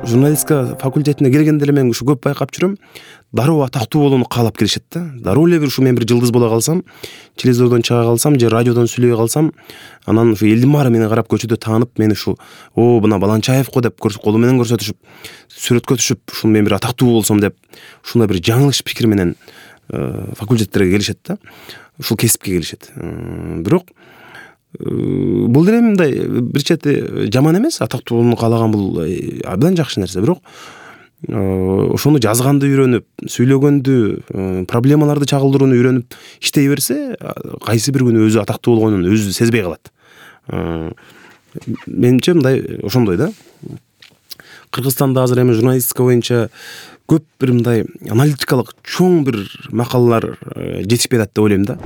журналистика факультетине келгенде эле мен ушу көп байкап жүрөм. Дароо атактуу болууну каалап келишет да. Дароо эле бир ушу мен бир жылдыз бола калсам, телевизордон чыга калсам же радиодон сүйлөй калсам, анан ушу элдин баары мени карап көчөдө таанып, мени ушу мына Баланчаевго деп колу менен көрсөтүшүп, сүрөткө түшүп, ушул мен бир атактуу болсом деп, ушундай бир жаңылыш пикир менен факультеттерге келишет да. Ушул кесипке келишет. Бирок бул деле мындай бир чети жаман эмес, атактуу болууну каалаган бул абдан жакшы нерсе. Бирок ошону жазганды үйрөнүп, сүйлөгөндү, проблемаларды чагылдырууну үйрөнүп иштей берсе, кайсы бир күнү өзү атактуу болгонун өзү сезбей калат. Менимче мындай ошондой да. Кыргызстанда азыр эми журналистика боюнча көп бир мындай аналитикалык чоң бир макалалар жетишпей атат деп ойлойм да.